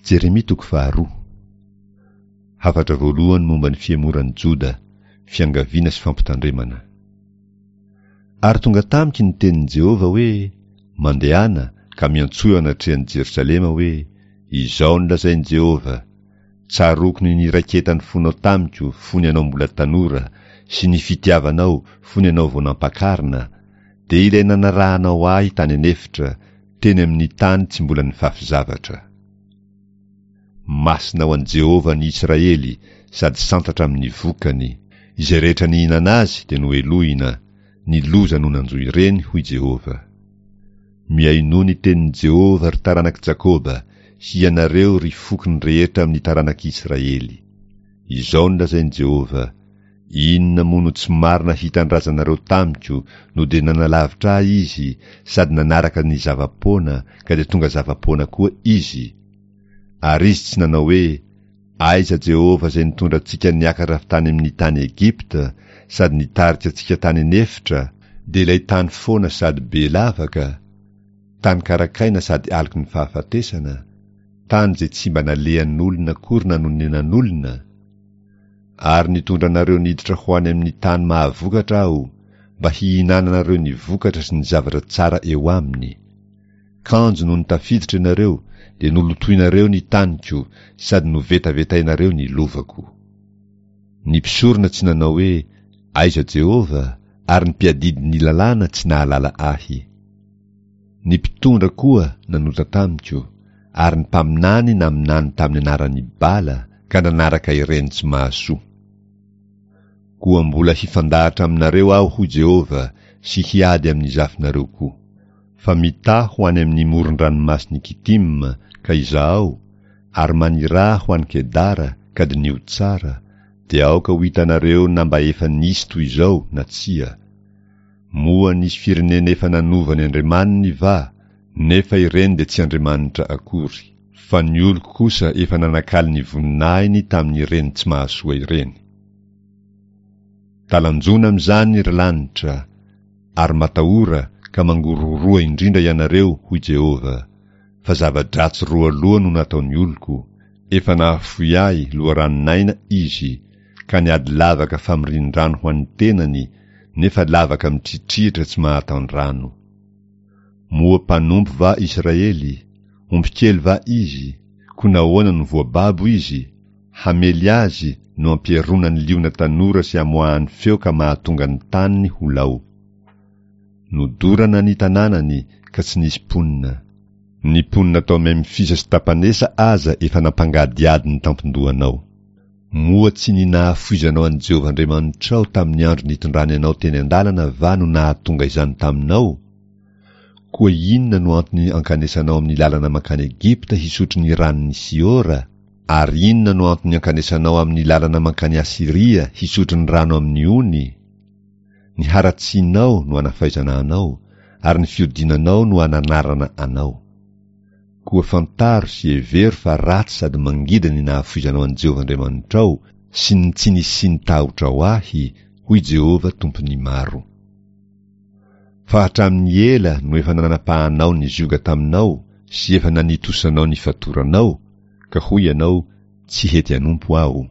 Jeremia toko faharoa. Hafatra voalohany momba ny fihemoran'i Joda, fiangaviana sy fampitandremana. Ary tonga tamiko ny tenin'i Jehovah hoe, Mandehana, ka miantsoa eo anatrehan'i Jerosalema hoe, 'Izao no lazain'i Jehovah, Tsaroako ny niraiketan'ny fonao tamiko fony ianao mbola tanora, sy ny fitiavanao fony ianao vao nampakarina, dia ilay nanarahanao ahy tany an'efitra, teny amin'ny tany tsy mbola nifafy zavatra. Masina ho an'i Jehovah ny Israely sady santatra amin'ny vokany. Izay rehetra nihinana azy dia nohelohina, ny loza no nanjo ireny, hoy Jehovah. Mihainoa ny tenin'i Jehovah, ry taranak'i Jakoba, hianareo, ry fokony rehetra amin'ny taranak'i Israely. Izao no lazain'i Jehovah, Inona moa no tsy marina hitan'ny razanareo tamiko no dia nanalavitra ahy izy sady nanaraka ny zava-poana ka dia tonga zava-poana koa izy? Ary izy tsy nanao hoe, Aiza Jehovah izay nitondra antsika niakatra avy tany amin'ny tany Egypta sady nitarika antsika tany an'efitra, dia ilay tany foana sady be lavaka, tany karakaina sady aloky ny fahafatesana, tany izay tsy mba nalehan'olona akory na nonenan'olona? Ary nitondra anareo niditra ho any amin'ny tany mahavokatra Aho, mba hihinananareo ny vokatra sy ny zavatra tsara eo aminy. Kanjo nony tafiditra ianareo, dia nolotoinareo ny taniko sady novetavetainareo ny lovako. Ny mpisorona tsy nanao hoe, Aiza Jehovah? ary ny mpiadidy ny lalàna tsy nahalala Ahy. Ny mpitondra koa nanota tamiko, ary ny mpaminany naminany tamin'ny anaran'i Bala ka nanaraka ireny tsy mahasoa. Koa mbola hifandahatra aminareo Aho, hoy Jehovah, sy hiady amin'ny zafinareo koa. Fa mitaha ho any amin'ny moron-dranomasin'i Kitima ka izahao, ary maniraha ho any Kedara ka diniho tsara, dia aoka ho hitanareo na mba efa nisy toy izao na tsia. Moa nisy firenena efa nanova ny andriamaniny va, nefa ireny dia tsy andriamanitra akory? Fa ny oloko kosa efa nanakalo ny voninahiny tamin'ireny tsy mahasoa ireny. Talanjona amin'izany ry lanitra, ary matahora ka mangorohoroa indrindra ianareo, hoy Jehovah, fa zava-dratsy roa loha no nataon'ny oloko, efa nahafoy ahy loharanon'aina izy, ka niady lavaka famorian-drano ho an'ny tenany, nefa lavaka mitritrihitra tsy mahatan-drano. Moa mpanompo va Israely? Omby kely va izy? Koa nahoana no voababo izy? Hamely azy no ampiaronan'ny liona tanora sy amoahany feo ka mahatonga ny taniny ho lao. Nodorana ny tanànany ka tsy nisy mponina. Ny mponina tao Memfisa sy Tapanesa aza efa nampangadihady ny tampon-dohanao. Moa tsy ny nahafoizanao an'i Jehovah Andriamanitrao tamin'ny andro nitondrany anao teny an-dalana va no nahatonga izany taminao? Koa inona no antony ankanesanao amin'ny lalana mankany Egypta hisotro ny ranon'i Siora? Ary inona no antony ankanesanao amin'ny lalana mankany Asyria hisotro ny rano amin'ny ony? Ny haratsianao no anafaizana anao, ary ny fiodinanao no ananarana anao. Koa fantaro sy hevero fa ratsy sady mangidy ny nahafoizanao an'i Jehovah Andriamanitrao sy ny tsy nisian'ny tahotrao ahy, hoy Jehovah Tompon'ny maro. Fa hatramin'ny ela no efa nanapahanao ny zioga taminao sy efa nanitosanao ny fatoranao, ka hoy ianao, Tsy hety hanompo aho.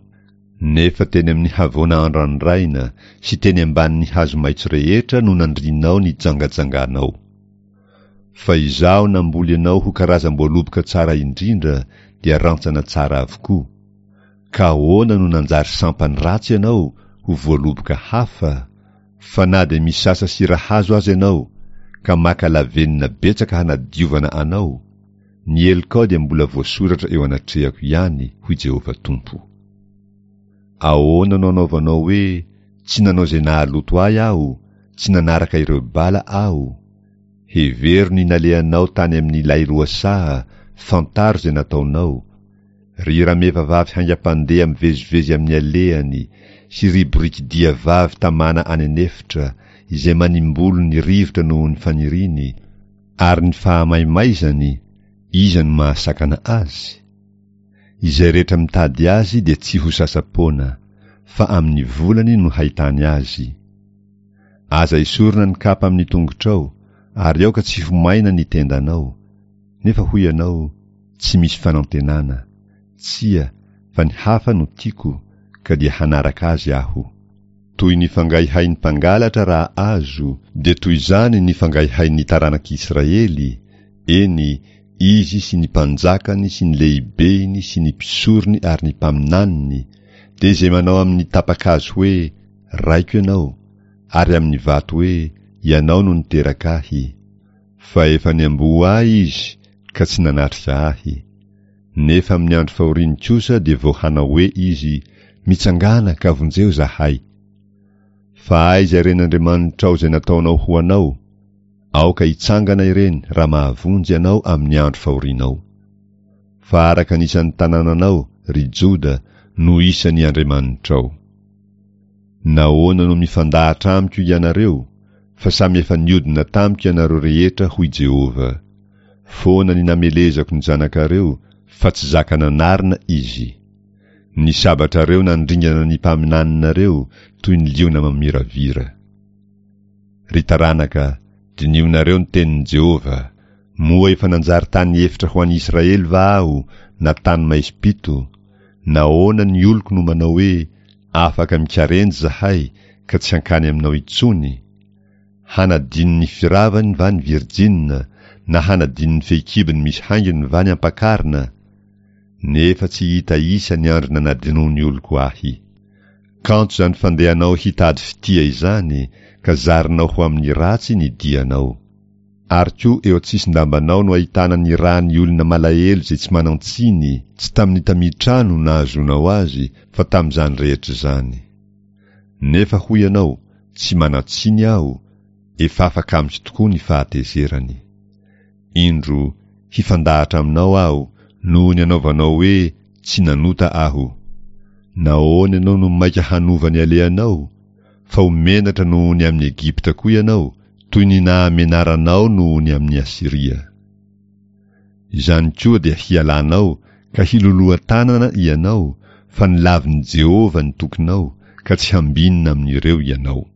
Nefa teny amin'ny havoana andrandraina sy teny ambanin'ny hazo maitso rehetra no nandrianao ny jangajanganao. Fa Izaho namboly anao ho karazam-boaloboka tsara indrindra dia rantsana tsara avokoa. Ka ahoana no nanjary sampany ratsy ianao ho voaloboka hafa? Fa na dia misasa sira hazo aza ianao, ka maka lavenona betsaka hanadiovana anao, ny helokao dia mbola voasoratra eo anatrehako ihany, hoy Jehovah Tompo. Ahoana no anaovanao hoe, Tsy nanao izay nahaloto ahy aho, tsy nanaraka ireo bala aho? Hevero ny nalehanao tany amin'ilay lohasaha, fantaro izay nataonao. Ry rameva vavy haingam-pandeha mivezivezy amin'ny alehany, sy ry borikidia vavy tamana any an'efitra, izay manimbolo ny rivotra noho ny faniriany, ary ny fahamaimaizany, iza no mahasakana azy? Izay rehetra mitady azy dia tsy ho sasa-poana, fa amin'ny volany no hahitany azy. Aza esorina ny kapa amin'ny tongotrao, ary aoka tsy ho maina ny tendanao. Nefa hoy ianao, Tsy misy fanantenana. Tsia, fa ny hafa no tiako, ka dia hanaraka azy aho. Toy ny fangaihain'ny mpangalatra raha azo, dia toy izany ny fangaihain'ny taranak'Israely, eny, izy sy ny mpanjakany sy ny lehibeny sy ny mpisorony ary ny mpaminaniny, dia izay manao amin'ny tapa-kazo hoe, Raiko ianao, ary amin'ny vato hoe, Ianao no niteraka ahy. Fa efa niamboho ahy izy ka tsy nanatrika ahy. Nefa amin'ny andro fahoriany kosa dia vao hanao hoe izy, Mitsangàna ka vonjeo izahay! Fa aiza ireny andriamanitrao izay nataonao ho anao? Aoka hitsangana ireny raha mahavonjy anao amin'ny andro fahorianao. Fa araka ny isan'ny tanànanao, ry Joda, no isan'ny andriamanitrao. Nahoana no mifandahatra amiko ianareo? Fa samy efa niodina tamiko ianareo rehetra, hoy Jehovah. Foana ny namelezako ny zanakareo, fa tsy zaka nanarina izy. Ny sabatrareo nandringana ny mpaminaninareo toy ny liona mamiravira. Ry taranaka, dinihonareo ny tenin'i Jehovah, Moa efa nanjary tany efitra ho an'i Israely va aho, na tany maizim-pito? Nahoana ny oloko no manao hoe, Afaka mikarenjy izahay, ka tsy hankany aminao intsony? Hanadino ny firavany va ny virjina, na hanadino ny fehikibony misy haingony va ny ampakarina? Nefa tsy hita isa ny andro nanadinoan'ny oloko ahy. Kanto izany fandehanao hitady fitia izany, ka zarinao ho amin'ny ratsy ny dianao. Ary koa eo an-tsisin-dambanao no ahitana ny ràn'ny olona malahelo izay tsy manan-tsiny, tsy tamin'ny tamitrà no nahazoanao azy, fa tamin'izany rehetra izany. Nefa hoy ianao, Tsy manan-tsiny aho, efa afaka amiko tokoa ny fahatezerany. Indro, hifandahatra aminao aho, noho ny anaovanao hoe, Tsy nanota aho. Nahoana ianao no maika hanova ny alehanao? Fa ho menatra noho ny amin'i Egypta koa ianao, toy ny nahamenaranao noho ny amin'i Asyria. Izany koa dia hialanao ka hiloloha tanana ianao, fa nolavin'i Jehovah ny tokinao, ka tsy hambinina amin'ireo ianao.